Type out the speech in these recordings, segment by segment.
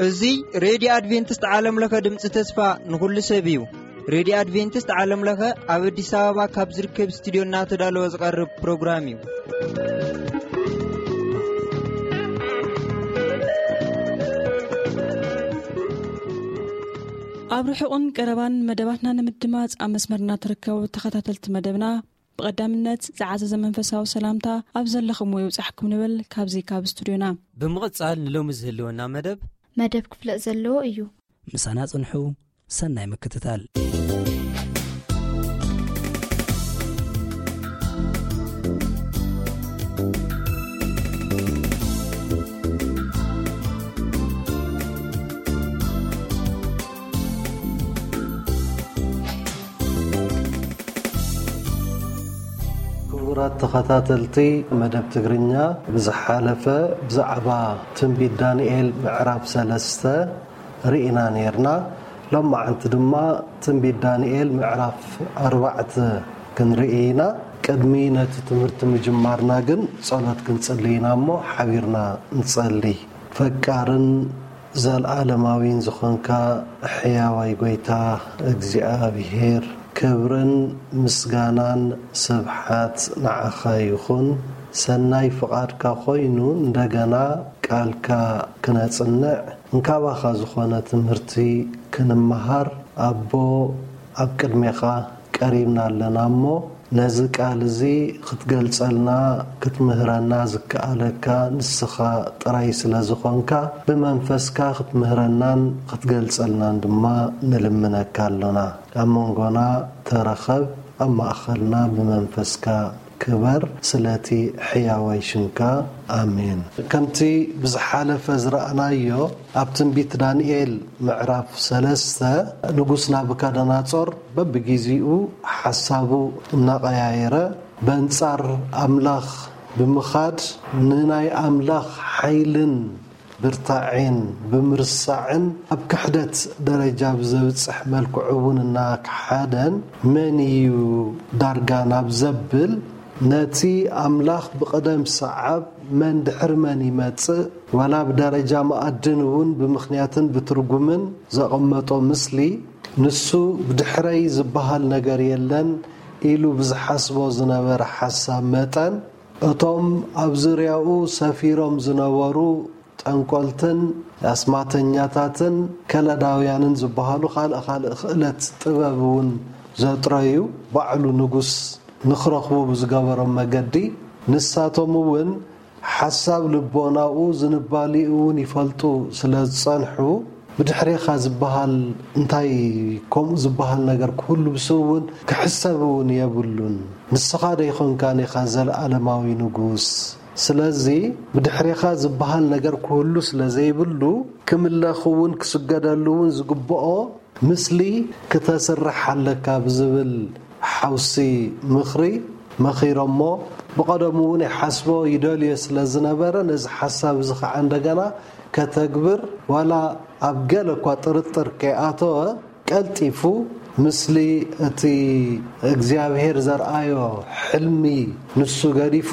እዚ ሬድዮ ኣድቬንቲስት ዓለም ለኸ ድምፂ ተስፋ ንኹሉ ሰብ እዩ። ሬድዮ ኣድቬንቲስት ዓለም ለኸ ኣብ ኣዲስ ኣበባ ካብ ዝርከብ ስቱዲዮ እናተዳለወ ዝቐርብ ፕሮግራም እዩ። ኣብ ርሑቕን ቀረባን መደባትና ንምድማፅ ኣብ መስመርና ትርከቡ ተኸታተልቲ መደብና፣ ብቐዳምነት ዝዓዘዘ መንፈሳዊ ሰላምታ ኣብ ዘለኹምዎ ይብጻሕኩም ንብል ካብዚ ካብ ስቱዲዮና። ብምቕጻል ንሎሚ ዝህልወና መደብ መደብ ክፍለጥ ዘለዎ እዩ። ምሳና ጽንሑ፣ ሰናይ ምክትታል። ክቡራት ተኸታተልቲ መደብ ትግርኛ፣ ብዝሓለፈ ብዛዕባ ትንቢት ዳንኤል ምዕራፍ ሰለስተ ርኢና ነይርና። ሎማዓንቲ ድማ ትንቢት ዳንኤል ምዕራፍ ኣርባዕተ ክንርኢ ኢና። ቅድሚ ነቲ ትምህርቲ ምጅማርና ግን ጸሎት ክንጽሊ ኢና እሞ ሓቢርና ንጸሊ። ፈቃርን ዘልኣለማዊን ዝኾንካ ሕያዋይ ጎይታ እግዚኣብሔር፣ ክብርን ምስጋናን ስብሓት ንዓኻ ይኹን። ሰናይ ፍቓድካ ኮይኑ እንደገና ቃልካ ክነጽንዕ፣ እንካባኻ ዝኾነ ትምህርቲ ክንመሃር፣ ኣቦ፣ ኣብ ቅድሜኻ ቀሪብና ኣለና እሞ፣ ነዚ ቃል እዚ ክትገልጸልና፣ ክትምህረና ዝከኣለካ ንስኻ ጥራይ ስለ ዝኾንካ፣ ብመንፈስካ ክትምህረናን ክትገልጸልናን ድማ ንልምነካ ኣሎና። ኣብ መንጎና ተረኸብ፣ ኣብ ማእኸልና ብመንፈስካ ክበር፣ ስለቲ ሕያዋይ ሽምካ። ኣሜን። ከምቲ ብዝሓለፈ ዝረኣናዮ፣ ኣብ ትንቢት ዳንኤል ምዕራፍ ሰለስተ፣ ንጉስ ናቡከደነጾር በብጊዜኡ ሓሳቡ እናቐያየረ፣ በንጻር ኣምላኽ ብምኻድ፣ ንናይ ኣምላኽ ሓይልን ብርታዔን ብምርሳዕን፣ ኣብ ክሕደት ደረጃ ብዘብጽሕ መልክዑ እውን እናከሓደን፣ መን እዩ ዳርጋ ናብ ዘብል፣ ነቲ ኣምላኽ ብቕደም ሰዓብ መን ድሕሪ መን ይመጽእ፣ ዋላ ብደረጃ መኣድን እውን ብምኽንያትን ብትርጉምን ዘቐመጦ ምስሊ፣ ንሱ ብድሕረይ ዝበሃል ነገር የለን ኢሉ ብዝሓስቦ ዝነበረ ሓሳብ መጠን፣ እቶም ኣብ ዙርያኡ ሰፊሮም ዝነበሩ ጠንቆልትን ኣስማተኛታትን ከለዳውያንን ዝበሃሉ ካልእ ካልእ ክእለት ጥበብ እውን ዘጥረዩ፣ ባዕሉ ንጉስ ንኽረኽቡ ብዝገበሮም መገዲ፣ ንሳቶም እውን ሓሳብ ልቦናኡ ዝንባሊኡ እውን ይፈልጡ ስለ ዝጸንሑ፣ ብድሕሬኻ ዝበሃል እንታይ ከምኡ ዝበሃል ነገር ክህሉ ብስብ እውን ክሕሰብ እውን የብሉን። ንስኻ ዶ ይኾንካን ኢኻ ዘለኣለማዊ ንጉስ? ስለዚ ብድሕሬኻ ዝበሃል ነገር ክህሉ ስለ ዘይብሉ፣ ክምለኽ እውን ክስገደሉ እውን ዝግብኦ ምስሊ ክተስርሕ ኣለካ ብዝብል ሓውሲ ምኽሪ መኺሮሞ። ብቐደሙ እውን ይሓስቦ ይደልዮ ስለ ዝነበረ፣ ነዚ ሓሳብ እዚ ኸዓ እንደገና ከተግብር፣ ዋላ ኣብ ገለ እኳ ጥርጥር ከይኣተወ፣ ቀልጢፉ ምስሊ እቲ እግዚኣብሔር ዘርኣዮ ሕልሚ ንሱ ገዲፉ፣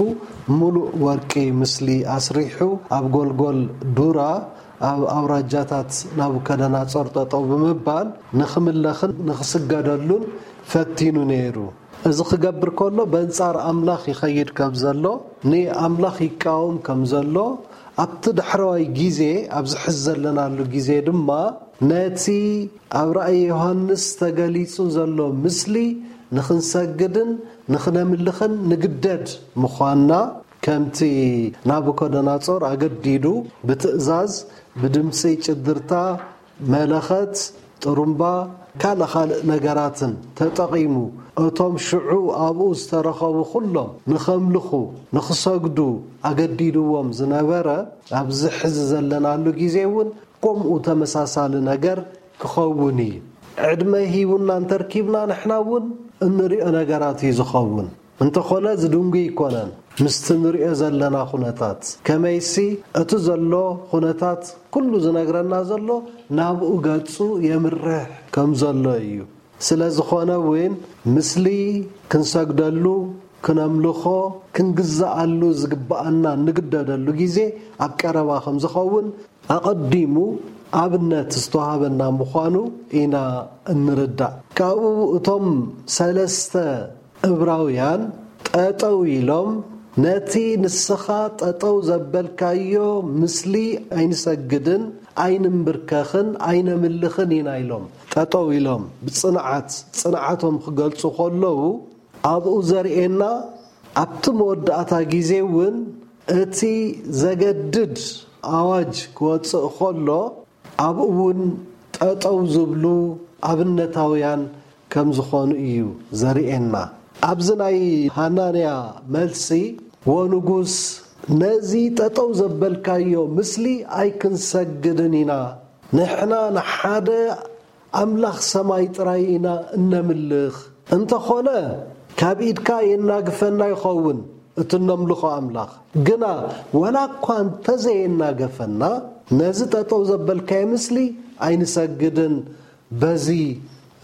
ምሉእ ወርቂ ምስሊ ኣስሪሑ፣ ኣብ ጎልጎል ዱራ ኣብ ኣውራጃታት ናቡከደነጾር ጠጠው ብምባል ንኽምለኽን ንኽስገደሉን ፈቲኑ ነይሩ። እዚ ክገብር ከሎ በንጻር ኣምላኽ ይኸይድ ከም ዘሎ፣ ንኣምላኽ ይቃወም ከም ዘሎ፣ ኣብቲ ዳሕረዋይ ግዜ፣ ኣብዚ ሕዚ ዘለናሉ ግዜ ድማ ነቲ ኣብ ራእይ ዮሃንስ ተገሊጹ ዘሎ ምስሊ ንኽንሰግድን ንኽነምልኽን ንግደድ ምዃንና፣ ከምቲ ናቡከደነጾር ኣገዲዱ ብትእዛዝ ብድምጺ ጭድርታ፣ መለኸት፣ ጥሩምባ፣ ካልእ ካልእ ነገራትን ተጠቒሙ፣ እቶም ሽዑ ኣብኡ ዝተረኸቡ ኩሎም ንኸምልኹ፣ ንኽሰግዱ ኣገዲድዎም ዝነበረ፣ ኣብዚ ሕዚ ዘለናሉ ግዜ እውን ከምኡ ተመሳሳሊ ነገር ክኸውን እዩ። ዕድመ ሂቡና እንተርኪብና፣ ንሕና እውን እንሪኦ ነገራት እዩ ዝኸውን። እንተኾነ፣ ዝድንጉ ኣይኮነን ምስቲ ንሪኦ ዘለና ኩነታት። ከመይሲ፣ እቲ ዘሎ ኩነታት ኩሉ ዝነግረና ዘሎ ናብኡ ገጹ የምርሕ ከም ዘሎ እዩ። ስለ ዝኾነ እውን፣ ምስሊ ክንሰግደሉ፣ ክነምልኾ፣ ክንግዛኣሉ ዝግባኣና እንግደደሉ ግዜ ኣብ ቀረባ ከም ዝኸውን ኣቐዲሙ ኣብነት ዝተዋህበና ምዃኑ ኢና እንርዳእ። ካብኡ እቶም ሰለስተ እብራውያን ጠጠው ኢሎም፣ ነቲ ንስኻ ጠጠው ዘበልካዮ ምስሊ ኣይንሰግድን፣ ኣይንንብርከኽን፣ ኣይነምልኽን ኢና ኢሎም። ጠጠው ኢሎም ብጽንዓት፣ ጽንዓቶም ክገልጹ ከለዉ፣ ኣብኡ ዘርእየና፣ ኣብቲ መወዳእታ ግዜ እውን እቲ ዘገድድ ኣዋጅ ክወጽእ ከሎ፣ ኣብኡ እውን ጠጠው ዝብሉ ኣብነታውያን ከም ዝኾኑ እዩ ዘርእየና። ኣብዚ ናይ ሃናንያ መልሲ፣ "ወንጉስ፣ ነዚ ጠጠው ዘበልካዮ ምስሊ ኣይክንሰግድን ኢና። ንሕና ንሓደ ኣምላኽ ሰማይ ጥራይ ኢና እነምልኽ። እንተኾነ፣ ካብ ኢድካ የናግፈና ይኸውን እቲ እነምልኾ ኣምላኽ። ግና ወላ እኳ እንተዘየናገፈና፣ ነዚ ጠጠው ዘበልካዮ ምስሊ ኣይንሰግድን። በዚ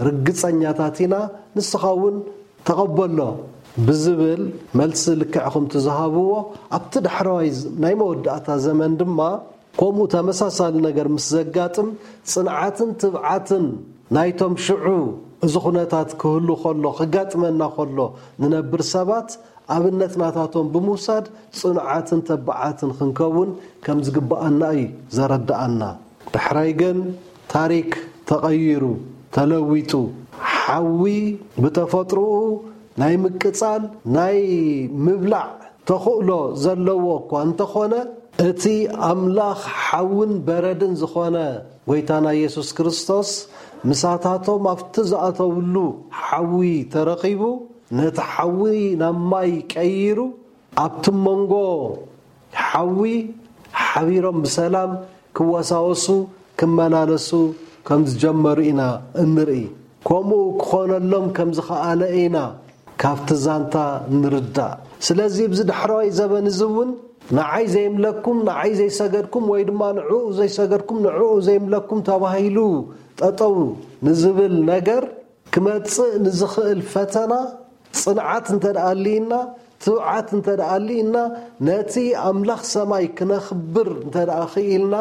ርግጸኛታት ኢና፣ ንስኻ እውን ተቐበሎ" ብዝብል መልሲ ልክዕ ከምቲ ዝሃብዎ፣ ኣብቲ ዳሕረዋይ ዝ-፣ ናይ መወዳእታ ዘመን ድማ ከምኡ ተመሳሳሊ ነገር ምስ ዘጋጥም፣ ጽንዓትን ትብዓትን ናይቶም ሽዑ እዚ ኩነታት ክህሉ ከሎ፣ ክጋጥመና ከሎ ንነብር ሰባት ኣብነት ናታቶም ብምውሳድ ጽኑዓትን ተባዓትን ክንከውን ከም ዝግባኣና እዩ ዘረድኣና። ዳሕራይ ግን ታሪክ ተቐይሩ፣ ተለዊጡ። ሓዊ ብተፈጥሮኡ ናይ ምቅጻል፣ ናይ ምብላዕ ተኽእሎ ዘለዎ እኳ እንተኾነ፣ እቲ ኣምላኽ ሓውን በረድን ዝኾነ ጎይታና የሱስ ክርስቶስ፣ ምሳታቶም ኣብቲ ዝኣተውሉ ሓዊ ተረኺቡ፣ ነቲ ሓዊ ናብ ማይ ቀይሩ፣ ኣብቲ መንጎ ሓዊ ሓቢሮም ብሰላም ክወሳወሱ፣ ክመላለሱ ከም ዝጀመሩ ኢና እንርኢ። ከምኡ ክኾነሎም ከም ዝኸኣለ ኢና ካብቲ ዛንታ ንርዳእ። ስለዚ፣ ኣብዚ ዳሕረዋይ ዘበን እዚ እውን፣ "ንዓይ ዘይምለኩም፣ ንዓይ ዘይሰገድኩም፣ ወይ ድማ ንዕኡ ዘይሰገድኩም፣ ንዕኡ ዘይምለኩም" ተባሂሉ ጠጠው ንዝብል ነገር ክመጽእ ንዝኽእል ፈተና ጽንዓት እንተ ደኣ ኣልይና፣ ትብዓት እንተ ደኣ ኣልይና፣ ነቲ ኣምላኽ ሰማይ ክነኽብር እንተ ደኣ ክኢልና፣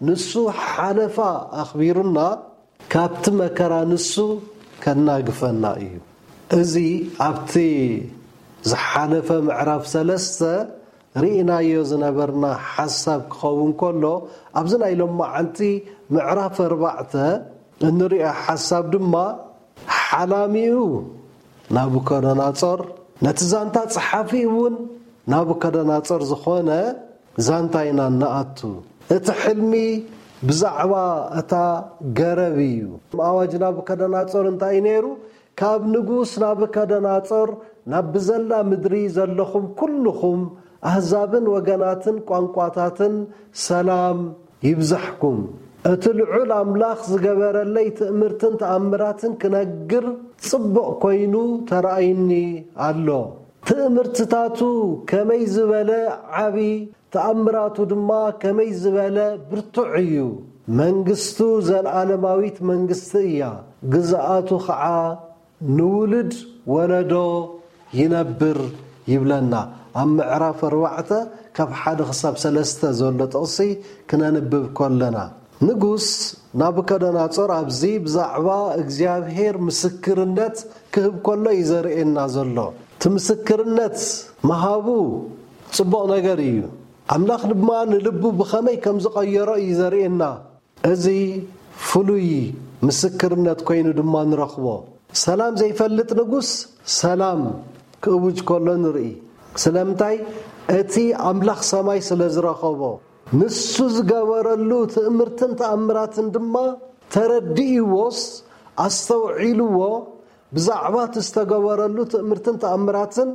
ንሱ ሓለፋ ኣኽቢሩና፣ ካብቲ መከራ ንሱ ከናግፈና እዩ። እዚ ኣብቲ ዝሓለፈ ምዕራፍ ሰለስተ ርኢናዮ ዝነበርና ሓሳብ ክኸውን ከሎ፣ ኣብዚ ናይ ሎማዓንቲ ምዕራፍ ኣርባዕተ እንሪኦ ሓሳብ ድማ፣ ሓላሚኡ ናቡከደነጾር፣ ነቲ ዛንታ ጸሓፊ እውን ናቡከደነጾር ዝኾነ ዛንታ ኢና እንኣቱ። እቲ ሕልሚ ብዛዕባ እታ ገረብ እዩ። ኣዋጅ ናቡከደነጾር እንታይ እዩ ነይሩ? "ካብ ንጉስ ናቡከደነጾር ናብ ብዘላ ምድሪ ዘለኹም ኩልኹም ኣህዛብን ወገናትን ቋንቋታትን ሰላም ይብዛሕኩም። እቲ ልዑል ኣምላኽ ዝገበረለይ ትእምርትን ተኣምራትን ክነግር ጽቡቕ ኮይኑ ተራእይኒ ኣሎ። ትእምርትታቱ ከመይ ዝበለ ዓቢ፣ ተኣምራቱ ድማ ከመይ ዝበለ ብርቱዕ እዩ። መንግስቱ ዘለኣለማዊት መንግስቲ እያ፣ ግዝኣቱ ኸዓ ንውሉድ ወለዶ ይነብር" ይብለና። ኣብ ምዕራፍ ኣርባዕተ ካብ ሓደ ክሳብ ሰለስተ ዘሎ ጥቕሲ ክነንብብ ከለና፣ ንጉስ ናቡከደነጾር ኣብዚ ብዛዕባ እግዚኣብሔር ምስክርነት ክህብ ከሎ እዩ ዘርእየና ዘሎ። እቲ ምስክርነት ምሃቡ ጽቡቕ ነገር እዩ። ኣምላኽ ድማ ንልቡ ብኸመይ ከም ዝቐየሮ እዩ ዘርእየና። እዚ ፍሉይ ምስክርነት ኮይኑ ድማ ንረኽቦ። ሰላም ዘይፈልጥ ንጉስ ሰላም ክእውጅ ከሎ ንርኢ። ስለምንታይ? እቲ ኣምላኽ ሰማይ ስለ ዝረኸቦ። ንሱ ዝገበረሉ ትእምርትን ተኣምራትን ድማ ተረዲእዎስ ኣስተውዒልዎ፣ ብዛዕባ እቲ ዝተገበረሉ ትእምርትን ተኣምራትን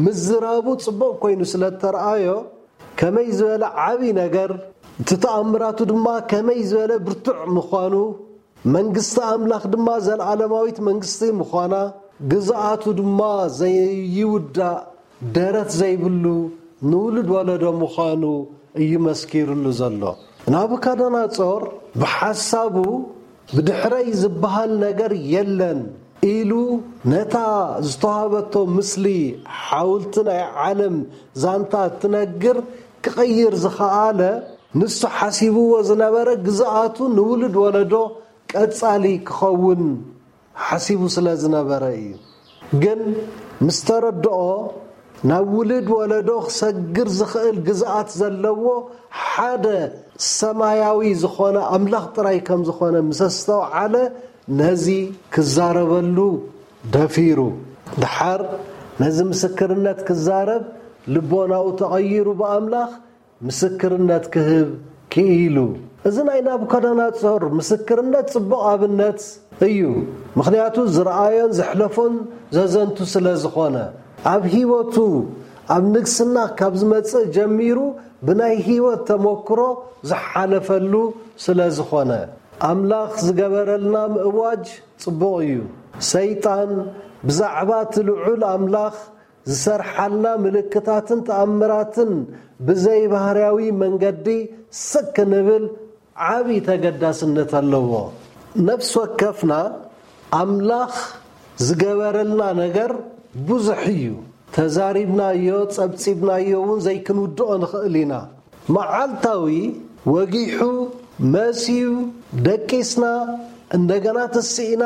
ምዝራቡ ጽቡቕ ኮይኑ ስለ እተረኣዮ፣ ከመይ ዝበለ ዓቢ ነገር፣ እቲ ተኣምራቱ ድማ ከመይ ዝበለ ብርቱዕ ምዃኑ፣ መንግስቲ ኣምላኽ ድማ ዘለኣለማዊት መንግስቲ ምዃና፣ ግዝኣቱ ድማ ዘይውዳእ ደረት ዘይብሉ ንውሉድ ወለዶ ምዃኑ እዩ መስኪርሉ ዘሎ። ናቡከደነጾር ብሓሳቡ፣ "ብድሕረይ ዝበሃል ነገር የለን፣ ኢሉ ነታ ዝተዋህበቶ ምስሊ ሓውልቲ ናይ ዓለም ዛንታ እትነግር ክቕይር ዝኸኣለ፣ ንሱ ሓሲብዎ ዝነበረ ግዝኣቱ ንውሉድ ወለዶ ቀጻሊ ክኸውን ሓሲቡ ስለ ዝነበረ እዩ። ግን ምስ ተረድኦ፣ ናብ ውሉድ ወለዶ ክሰግር ዝኽእል ግዝኣት ዘለዎ ሓደ ሰማያዊ ዝኾነ ኣምላኽ ጥራይ ከም ዝኾነ ምስ ኣስተውዓለ፣ ነዚ ክዛረበሉ ደፊሩ። ደሓር ነዚ ምስክርነት ክዛረብ ልቦናኡ ተቐይሩ ብኣምላኽ ምስክርነት ክህብ ክኢሉ። እዚ ናይ ናቡከደነጾር ምስክርነት ጽቡቕ ኣብነት እዩ። ምኽንያቱ ዝረኣዮን ዘሕለፎን ዘዘንቱ ስለ ዝኾነ፣ ኣብ ህይወቱ፣ ኣብ ንግስና ካብ ዝመጽእ ጀሚሩ ብናይ ህይወት ተመክሮ ዝሓለፈሉ ስለ ዝኾነ፣ ኣምላኽ ዝገበረልና ምእዋጅ ጽቡቕ እዩ። ሰይጣን ብዛዕባ እቲ ልዑል ኣምላኽ ዝሰርሓልና ምልክታትን ተኣምራትን ብዘይባህርያዊ መንገዲ ስቅ ክንብል ዓቢ ተገዳስነት ኣለዎ። ነፍሲ ወከፍና ኣምላኽ ዝገበረልና ነገር ብዙሕ እዩ። ተዛሪብናዮ፣ ጸብጺብናዮ እውን ዘይክንውድኦ ንኽእል ኢና። መዓልታዊ ወጊሑ፣ መስዩ፣ ደቂስና፣ እንደገና ተስኢና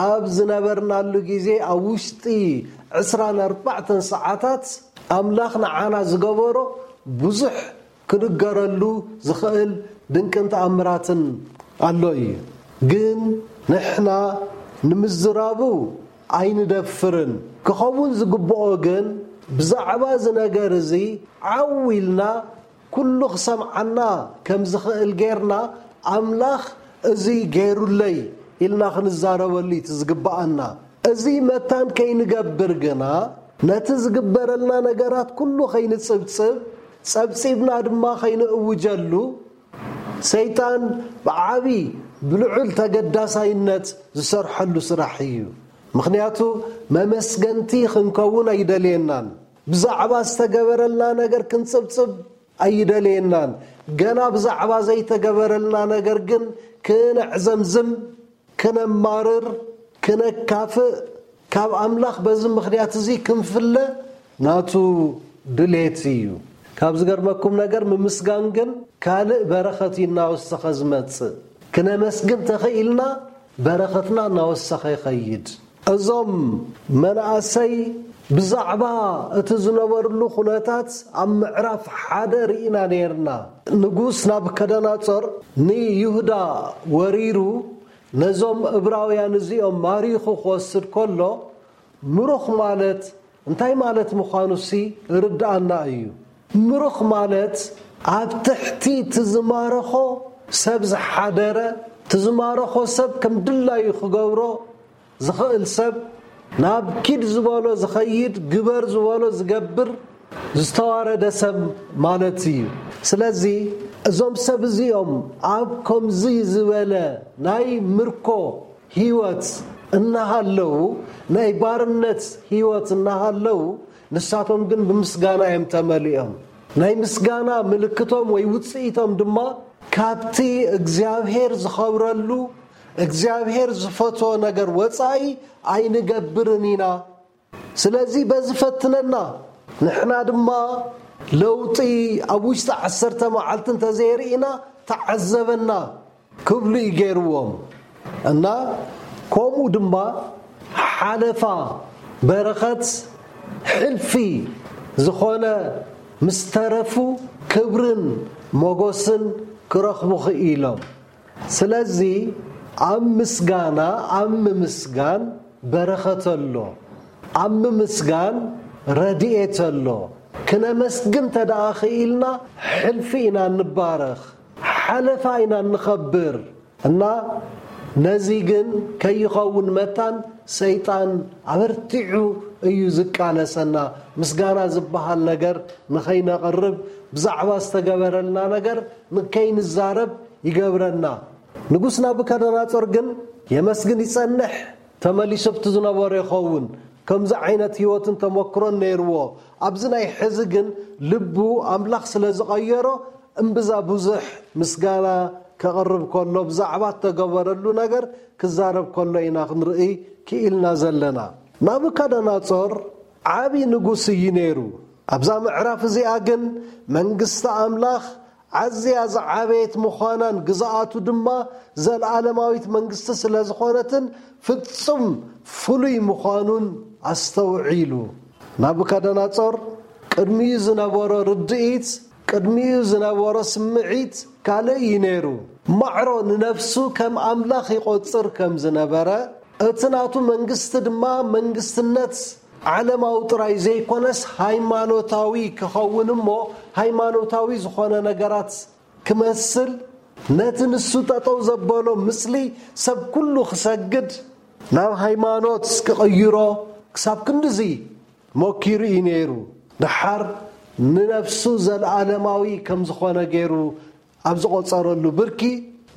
ኣብ ዝነበርናሉ ግዜ፣ ኣብ ውሽጢ ዕስራን ኣርባዕተን ሰዓታት ኣምላኽ ንዓና ዝገበሮ ብዙሕ ክንገረሉ ዝኽእል ድንቅን ተኣምራትን ኣሎ እዩ። ግን ንሕና ንምዝራቡ ኣይንደፍርን። ክኸውን ዝግብኦ ግን ብዛዕባ እዚ ነገር እዚ ዓው ኢልና ኩሉ ክሰምዓና ከም ዝኽእል ጌርና ኣምላኽ እዚ ገይሩለይ ኢልና ክንዛረበሉ እዩ እቲ ዝግብኣና። እዚ መታን ከይንገብር ግና ነቲ ዝግበረልና ነገራት ኩሉ ከይንጽብጽብ፣ ጸብጺብና ድማ ከይንእውጀሉ፣ ሰይጣን ብዓቢ ብልዑል ተገዳሳይነት ዝሰርሐሉ ስራሕ እዩ። ምኽንያቱ መመስገንቲ ክንከውን ኣይደልየናን። ብዛዕባ ዝተገበረልና ነገር ክንጽብጽብ ኣይደልየናን። ገና ብዛዕባ ዘይተገበረልና ነገር ግን ክነዕዘምዝም፣ ክነማርር፣ ክነካፍእ፣ ካብ ኣምላኽ በዚ ምኽንያት እዚ ክንፍለ ናቱ ድሌት እዩ። ካብ ዝገርመኩም ነገር፣ ምምስጋን ግን ካልእ በረኸት እዩ እናወሰኸ ዝመጽእ። ክነመስግን ተኽኢልና በረኸትና እናወሰኸ ይኸይድ። እዞም መናእሰይ ብዛዕባ እቲ ዝነበርሉ ኩነታት ኣብ ምዕራፍ ሓደ ርኢና ነይርና። ንጉስ ናቡከደነጾር ንይሁዳ ወሪሩ ነዞም እብራውያን እዚኦም ማሪኹ ክወስድ ከሎ፣ ምሩኽ ማለት እንታይ ማለት ምዃኑሲ ርድኣና እዩ። ምሩኽ ማለት ኣብ ትሕቲ እቲ ዝማረኾ ሰብ ዝሓደረ፣ እቲ ዝማረኾ ሰብ ከም ድላዩ ክገብሮ ዝኽእል ሰብ፣ ናብ ኪድ ዝበሎ ዝኸይድ፣ ግበር ዝበሎ ዝገብር፣ ዝተዋረደ ሰብ ማለት እዩ። ስለዚ እዞም ሰብ እዚኦም ኣብ ከምዚ ዝበለ ናይ ምርኮ ህይወት እናሃለዉ፣ ናይ ባርነት ህይወት እናሃለዉ፣ ንሳቶም ግን ብምስጋና እዮም ተመሊኦም። ናይ ምስጋና ምልክቶም ወይ ውጽኢቶም ድማ ካብቲ እግዚኣብሔር ዝኸብረሉ፣ እግዚኣብሔር ዝፈትዎ ነገር ወጻኢ ኣይንገብርን ኢና። ስለዚ በዚ ፈትነና። ንሕና ድማ ለውጢ ኣብ ውሽጢ ዓሰርተ መዓልቲ እንተዘየርኢና ተዓዘበና ክብሉ እዩ ገይርዎም። እና ከምኡ ድማ ሓለፋ በረኸት ሕልፊ ዝኾነ ምስ ተረፉ ክብርን ሞገስን ክረኽቡ ክኢሎም። ስለዚ ኣብ ምስጋና፣ ኣብ ምምስጋን በረኸት ኣሎ። ኣብ ምምስጋን ረድኤት ኣሎ። ክነመስግን እንተ ደኣ ክኢልና፣ ሕልፊ ኢና እንባረኽ፣ ሓለፋ ኢና እንኸብር። እና ነዚ ግን ከይኸውን መታን ሰይጣን ኣበርቲዑ እዩ ዝቃለሰና። ምስጋና ዝበሃል ነገር ንኸይነቕርብ፣ ብዛዕባ ዝተገበረልና ነገር ንከይንዛረብ ይገብረና። ንጉስ ናቡከደነጾር ግን የመስግን ይጸንሕ፣ ተመሊሱ ኣብቲ ዝነበሮ ይኸውን። ከምዚ ዓይነት ህይወትን ተመክሮን ነይርዎ። ኣብዚ ናይ ሕዚ ግን ልቡ ኣምላኽ ስለ ዝቐየሮ፣ እምብዛ ብዙሕ ምስጋና ከቕርብ ከሎ፣ ብዛዕባ እተገበረሉ ነገር ክዛረብ ከሎ ኢና ክንርኢ ክኢልና ዘለና። ናቡከደነጾር ዓቢ ንጉስ እዩ ነይሩ። ኣብዛ ምዕራፍ እዚኣ ግን መንግስቲ ኣምላኽ ኣዝያ ዝዓበየት ምዃናን ግዝኣቱ ድማ ዘለዓለማዊት መንግስቲ ስለ ዝኾነትን ፍጹም ፍሉይ ምዃኑን ኣስተውዒሉ። ናቡከደነጾር ቅድሚኡ ዝነበሮ ርድኢት፣ ቅድሚኡ ዝነበሮ ስምዒት ካልእ እዩ ነይሩ። ማዕሮ ንነፍሱ ከም ኣምላኽ ይቖጽር ከም ዝነበረ፣ እቲ ናቱ መንግስቲ ድማ መንግስትነት ዓለማዊ ጥራይ ዘይኮነስ ሃይማኖታዊ ክኸውን እሞ፣ ሃይማኖታዊ ዝኾነ ነገራት ክመስል፣ ነቲ ንሱ ጠጠው ዘበሎ ምስሊ ሰብ ኩሉ ክሰግድ፣ ናብ ሃይማኖት ክቕይሮ ክሳብ ክንድዚ ሞኪሩ እዩ ነይሩ። ደሓር ንነፍሱ ዘለዓለማዊ ከም ዝኾነ ገይሩ ኣብ ዝቖጸረሉ ብርኪ፣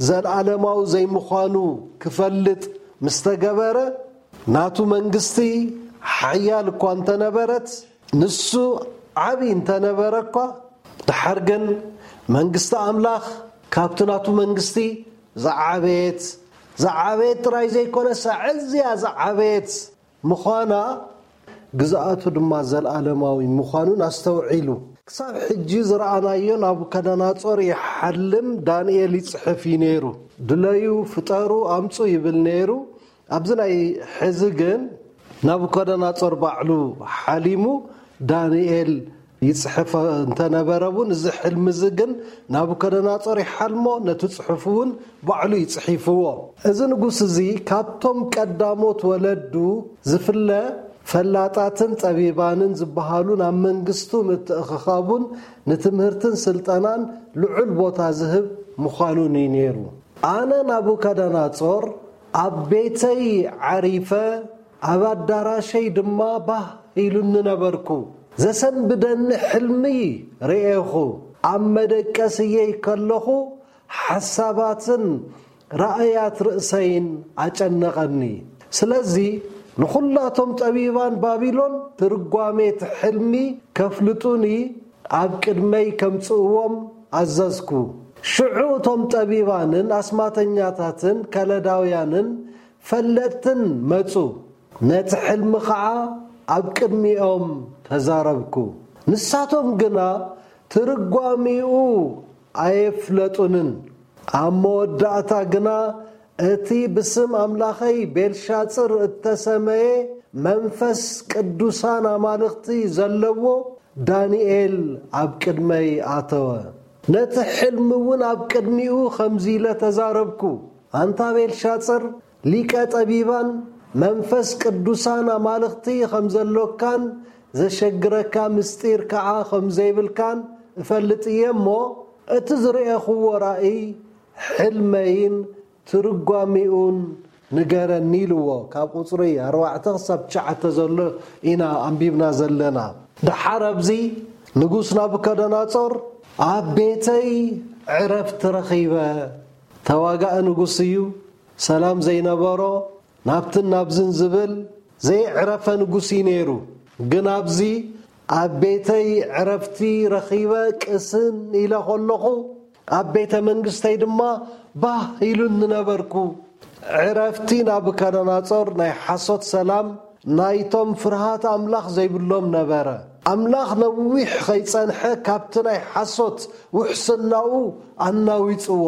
ዘለዓለማዊ ዘይምዃኑ ክፈልጥ ምስ ተገበረ፣ ናቱ መንግስቲ ሓያል እኳ እንተነበረት፣ ንሱ ዓቢ እንተነበረ እኳ፣ ደሓር ግን መንግስቲ ኣምላኽ ካብቲ ናቱ መንግስቲ ዝዓበየት፣ ዝዓበየት ጥራይ ዘይኮነስ ኣዝያ ዝዓበየት ምዃና፣ ግዝኣቱ ድማ ዘለዓለማዊ ምዃኑን ኣስተውዒሉ። ክሳብ ሕጂ ዝረኣናዮ ናቡከደነጾር ይሓልም፣ ዳንኤል ይጽሕፍ እዩ ነይሩ። ድለዩ፣ ፍጠሩ፣ ኣምጹ ይብል ነይሩ። ኣብዚ ናይ ሕዚ ግን ናቡከደነጾር ባዕሉ ሓሊሙ፣ ዳንኤል ይጽሕፍ እንተነበረ እውን፣ እዚ ሕልሚ እዚ ግን ናቡከደነጾር ይሓልሞ፣ ነቲ ጽሑፍ እውን ባዕሉ እዩ ጽሒፍዎ። እዚ ንጉስ እዚ ካብቶም ቀዳሞት ወለዱ ዝፍለ፣ ፈላጣትን ጠቢባንን ዝበሃሉ፣ ናብ መንግስቱ ምትእኽኻቡን ንትምህርትን ስልጠናን ልዑል ቦታ ዝህብ ምዃኑን እዩ ነይሩ። ኣነ ናቡከደነጾር ኣብ ቤተይ ዓሪፈ፣ ኣብ ኣዳራሸይ ድማ ባህ ኢሉኒ ነበርኩ። ዘሰንብደኒ ሕልሚ ርኤኹ። ኣብ መደቀስየይ ከለኹ ሓሳባትን ራእያት ርእሰይን ኣጨነቐኒ። ስለዚ ንኹላቶም ጠቢባን ባቢሎን ትርጓሜ እቲ ሕልሚ ከፍልጡኒ ኣብ ቅድመይ ከምጽእዎም ኣዘዝኩ። ሽዑ እቶም ጠቢባንን ኣስማተኛታትን ከለዳውያንን ፈለጥትን መጹ። ነቲ ሕልሚ ኸዓ ኣብ ቅድሚኦም ተዛረብኩ። ንሳቶም ግና ትርጓሜኡ ኣየፍለጡንን። ኣብ መወዳእታ ግና እቲ ብስም ኣምላኸይ ቤልሻጽር እተሰመየ መንፈስ ቅዱሳን ኣማልኽቲ ዘለዎ ዳንኤል ኣብ ቅድመይ ኣተወ። ነቲ ሕልሚ እውን ኣብ ቅድሚኡ ከምዚ ኢለ ተዛረብኩ። ኣንታ ቤልሻጽር፣ ሊቀ ጠቢባን መንፈስ ቅዱሳን ኣማልኽቲ ከም ዘሎካን ዘሸግረካ ምስጢር ከዓ ከም ዘይብልካን እፈልጥ እየ እሞ፣ እቲ ዝረኤኽዎ ራእይ፣ ሕልመይን ትርጓሜኡን ንገረኒ ኢልዎ። ካብ ቁጽሪ ኣርባዕተ ክሳብ ትሽዓተ ዘሎ ኢና ኣንቢብና ዘለና። ደሓር ኣብዚ ንጉስ ናቡከደነጾር ኣብ ቤተይ ዕረፍቲ ረኺበ። ተዋጋኢ ንጉስ እዩ፣ ሰላም ዘይነበሮ፣ ናብትን ናብዝን ዝብል ዘየዕረፈ ንጉስ እዩ ነይሩ። ግን ኣብዚ ኣብ ቤተይ ዕረፍቲ ረኺበ ቅስን ኢለ ከለኹ፣ ኣብ ቤተ መንግስተይ ድማ ባህ ኢሉኒ ነበርኩ። ዕረፍቲ ናቡከደነጾር ናይ ሓሶት ሰላም ናይቶም ፍርሃት ኣምላኽ ዘይብሎም ነበረ። ኣምላኽ ነዊሕ ኸይጸንሐ ካብቲ ናይ ሓሶት ውሕስናኡ ኣናዊጽዎ።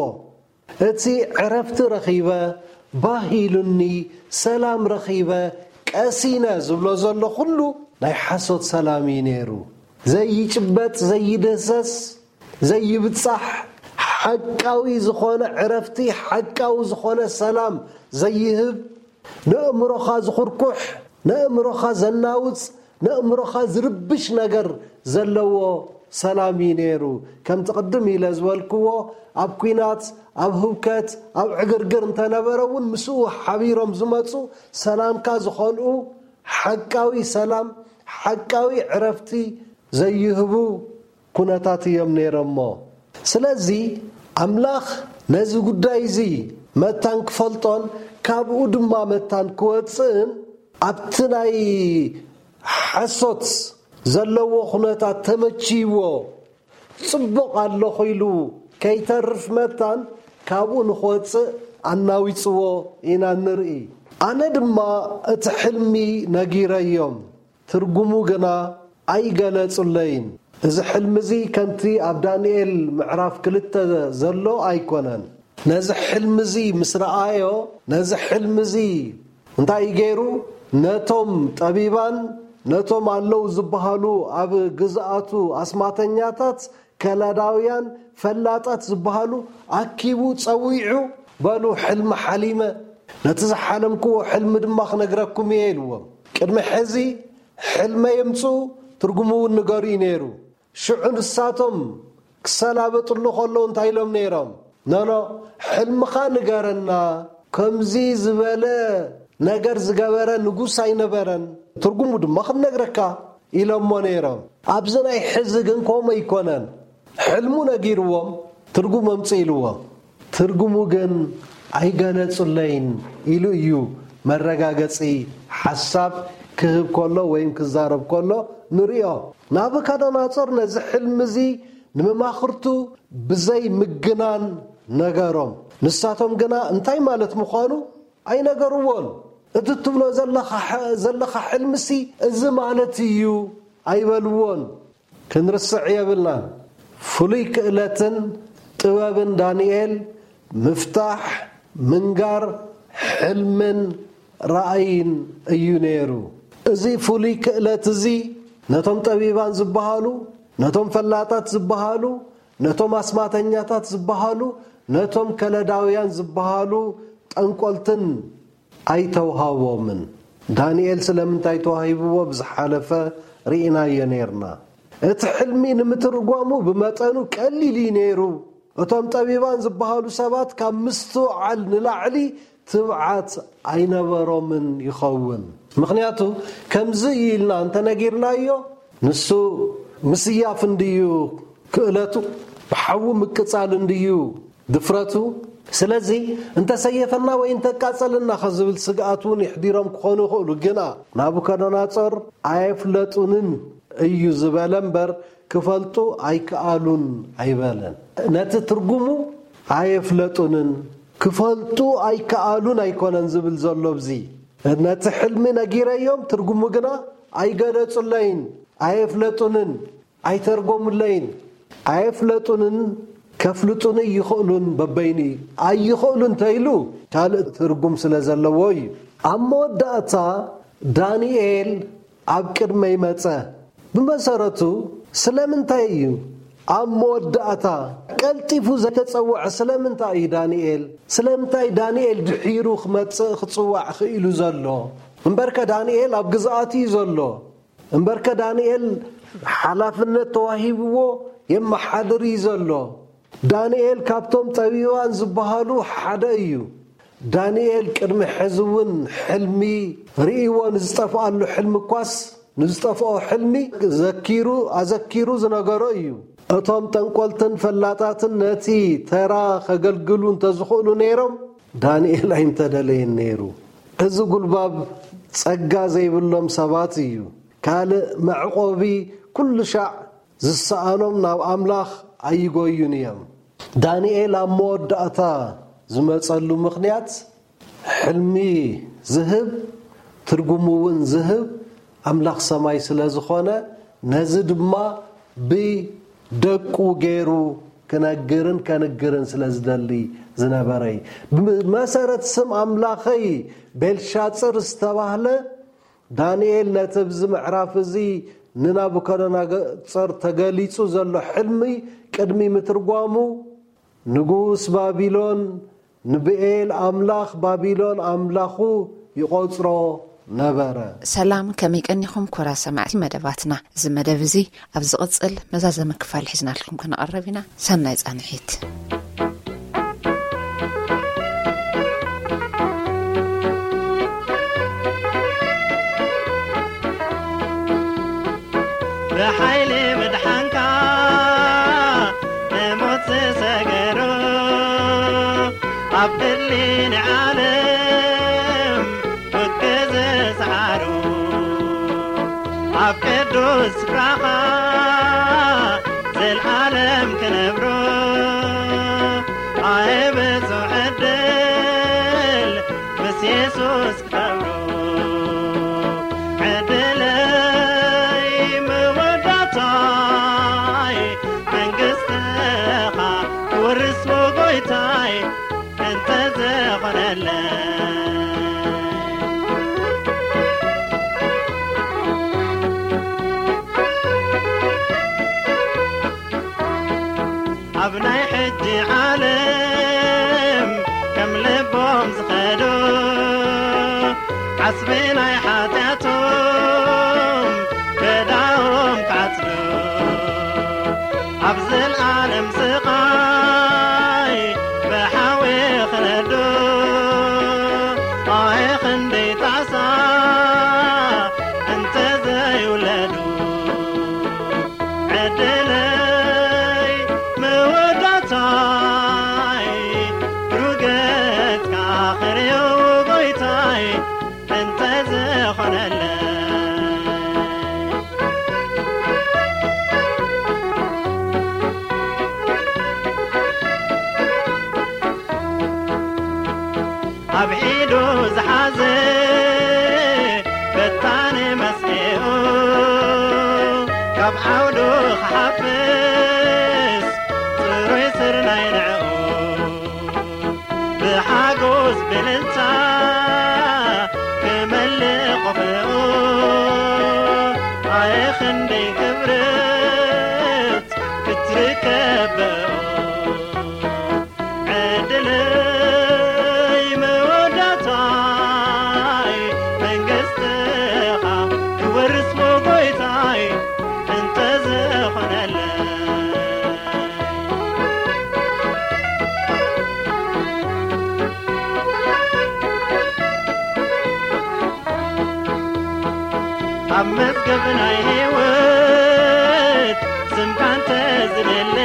እቲ ዕረፍቲ ረኺበ፣ ባህ ኢሉኒ፣ ሰላም ረኺበ፣ ቀሲነ ዝብሎ ዘሎ ኩሉ ናይ ሓሶት ሰላም እዩ ነይሩ። ዘይጭበጥ፣ ዘይድህሰስ፣ ዘይብጻሕ፣ ሓቃዊ ዝኾነ ዕረፍቲ፣ ሓቃዊ ዝኾነ ሰላም ዘይህብ፣ ነእምሮኻ ዝኹርኩሕ፣ ነእምሮኻ ዘናውጽ፣ ነእምሮኻ ዝርብሽ ነገር ዘለዎ ሰላም እዩ ነይሩ። ከምቲ ቅድም ኢለ ዝበልክዎ፣ ኣብ ኲናት፣ ኣብ ህውከት፣ ኣብ ዕግርግር እንተነበረ እውን፣ ምስኡ ሓቢሮም ዝመጹ ሰላምካ ዝኾንኡ፣ ሓቃዊ ሰላም፣ ሓቃዊ ዕረፍቲ ዘይህቡ ኩነታት እዮም ነይሮሞ። ስለዚ ኣምላኽ ነዚ ጉዳይ እዚ መታን ክፈልጦን ካብኡ ድማ መታን ክወጽእን፣ ኣብቲ ናይ ሓሶት ዘለዎ ኩነታት ተመችይዎ ጽቡቕ ኣለኹ ኢሉ ከይተርፍ መታን፣ ካብኡ ንኽወጽእ ኣናዊጽዎ ኢና ንርኢ። ኣነ ድማ እቲ ሕልሚ ነጊረዮም፣ ትርጉሙ ግና ኣይገለጹለይን። እዚ ሕልሚ እዚ ከምቲ ኣብ ዳንኤል ምዕራፍ ክልተ ዘሎ ኣይኮነን። ነዚ ሕልሚ እዚ ምስ ረኣዮ፣ ነዚ ሕልሚ እዚ እንታይ እዩ ገይሩ? ነቶም ጠቢባን ነቶም ኣለዉ ዝበሃሉ ኣብ ግዝኣቱ ኣስማተኛታት፣ ከላዳውያን፣ ፈላጣት ዝበሃሉ ኣኪቡ ጸዊዑ፣ "በሉ፣ ሕልሚ ሓሊመ፣ ነቲ ዝሓለምክዎ ሕልሚ ድማ ክነግረኩም እየ" ኢልዎም። ቅድሚ ሕዚ ሕልመ የምጽኡ፣ ትርጉሙ እውን ንገሩ እዩ ነይሩ። ሽዑ ንሳቶም ክሰላበጥሉ ከለዉ እንታይ ኢሎም ነይሮም? "ኖኖ፣ ሕልምኻ ንገረና፣ ከምዚ ዝበለ ነገር ዝገበረ ንጉስ ኣይነበረን፣ ትርጉሙ ድማ ክንነግረካ" ኢሎሞ ነይሮም። ኣብዚ ናይ ሕዚ ግን ከምኡ ኣይኮነን። ሕልሙ ነጊርዎም፣ ትርጉም ኣምጽእ ኢልዎም። ትርጉሙ ግን ኣይገለጹለይን ኢሉ እዩ መረጋገጺ ሓሳብ ክህብ ከሎ ወይም ክዛረብ ከሎ ንሪኦ። ናቡከደነጾር ነዚ ሕልሚ እዚ ንመማኽርቱ ብዘይ ምግናን ነገሮም። ንሳቶም ግና እንታይ ማለት ምዃኑ ኣይነገርዎን። "እቲ ትብሎ ዘለኻ ሐ-፣ ዘለኻ ሕልምሲ እዚ ማለት እዩ" ኣይበልዎን። ክንርስዕ የብልናን። ፍሉይ ክእለትን ጥበብን ዳንኤል ምፍታሕ፣ ምንጋር፣ ሕልምን ራእይን እዩ ነይሩ። እዚ ፍሉይ ክእለት እዚ ነቶም ጠቢባን ዝበሃሉ፣ ነቶም ፈላጣት ዝበሃሉ፣ ነቶም ኣስማተኛታት ዝበሃሉ፣ ነቶም ከለዳውያን ዝበሃሉ ጠንቆልትን ኣይተውሃቦምን። ዳንኤል ስለምንታይ ተዋሂብዎ ብዝሓለፈ ርኢናዮ ነይርና። እቲ ሕልሚ ንምትርጓሙ ብመጠኑ ቀሊል እዩ ነይሩ። እቶም ጠቢባን ዝበሃሉ ሰባት ካብ ምስትውዓል ንላዕሊ ትብዓት ኣይነበሮምን ይኸውን። ምኽንያቱ ከምዚ እዩ ኢልና እንተነጊርናዮ፣ ንሱ ምስያፍ እንድዩ ክእለቱ፣ ብሓዊ ምቅጻል እንድዩ ድፍረቱ። ስለዚ እንተሰየፈና ወይ እንተቃጸልና ከዝብል ስግኣት እውን ይሕዲሮም ክኾኑ ይኽእሉ። ግና ናቡከደነጾር ኣየፍለጡንን እዩ ዝበለ እምበር ክፈልጡ ኣይከኣሉን ኣይበለን። ነቲ ትርጉሙ ኣየፍለጡንን ክፈልጡ ኣይከኣሉን ኣይኮነን ዝብል ዘሎ። ብዚ ነቲ ሕልሚ ነጊረዮም፣ ትርጉሙ ግና ኣይገለጹለይን፣ ኣየፍለጡንን፣ ኣይተርጎሙለይን፣ ኣየፍለጡንን፣ ከፍልጡን ይኽእሉን በበይኑ ኣይኽእሉን ተይሉ ካልእ ትርጉም ስለ ዘለዎ እዩ። ኣብ መወዳእታ ዳንኤል ኣብ ቅድመይ መጸ። ብመሰረቱ ስለምንታይ እዩ ኣብ መወዳእታ ቀልጢፉ ዘይተጸውዐ? ስለምንታይ እዩ ዳንኤል? ስለምንታይ ዳንኤል ድሒሩ ክመጽእ ክጽዋዕ ክኢሉ ዘሎ? እምበርከ ዳንኤል ኣብ ግዝኣቱ እዩ ዘሎ። እምበርከ ዳንኤል ሓላፍነት ተዋሂብዎ የመሓድር እዩ ዘሎ። ዳንኤል ካብቶም ጠቢባን ዝበሃሉ ሓደ እዩ። ዳንኤል ቅድሚ ሕዚ እውን ሕልሚ ርእይዎ ንዝጠፍኣሉ ሕልሚ እኳስ ንዝጠፍኦ ሕልሚ ዘኪሩ፣ ኣዘኪሩ ዝነገሮ እዩ። እቶም ጠንቆልትን ፈላጣትን ነቲ ተራ ከገልግሉ እንተዝኽእሉ ነይሮም፣ ዳንኤል ኣይምተደለየን ነይሩ። እዚ ጉልባብ ጸጋ ዘይብሎም ሰባት እዩ። ካልእ መዕቆቢ ኩሉ ሻዕ ዝሰኣኖም ናብ ኣምላኽ ኣይጎዩን እዮም። ዳንኤል ኣብ መወዳእታ ዝመጸሉ ምኽንያት፣ ሕልሚ ዝህብ፣ ትርጉሙ እውን ዝህብ ኣምላኽ ሰማይ ስለ ዝኾነ፣ ነዚ ድማ ብደቁ ገይሩ ክነግርን ከንግርን ስለ ዝደሊ ዝነበረ እዩ። ብመሰረት ስም ኣምላኸይ ቤልሻጽር ዝተባህለ ዳንኤል ነቲ ኣብዚ ምዕራፍ እዚ ንናቡከደነጾር ተገሊጹ ዘሎ ሕልሚ ቅድሚ ምትርጓሙ፣ ንጉስ ባቢሎን ንብኤል ኣምላኽ ባቢሎን ኣምላኹ ይቖጽሮ ነበረ። ሰላም፣ ከመይ ቀኒኹም ክቡራት ሰማዕቲ መደባትና? እዚ መደብ እዚ ኣብ ዝቕጽል መዛዘሚ ክፋል ሒዝናልኩም ክንቐርብ ኢና። ሰናይ ጻንሒት። ብሓይሊ ምድሓንካ ንሞት ዝሰገሩ፣ ኣብ ዕሊ ንዓለም ውግእ ዝሰዓሩ፣ ኣብ ቅዱስ ስፍራኻ ዘልኣለም ክነብሩ፣ ኣየ ብፁዕ ኣብ ኢዱ ዝሓዘ በታኒ መስኤኡ ካብ ዓውዱ ክሓፍስ ጽሩይ ስርናይ ንዕኡ ብሓጎስ ብልልታ ክመልእ ቆፎኡ። ኣየ ክንደይ ክብርት ክትርከብ በኦ። ዕድለይ መወዳእታይ መንግስትኻ ክወርስ ሞ ጎይታይ እንተዝኾነለይ። ኣብ መዝገብ ናይ ህይወት ስምካ እንተዝለለ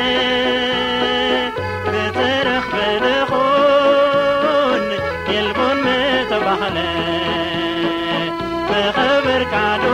ብተረኽበ ደኹን የልቦን ምተባህለ ምኸበርካ ዶ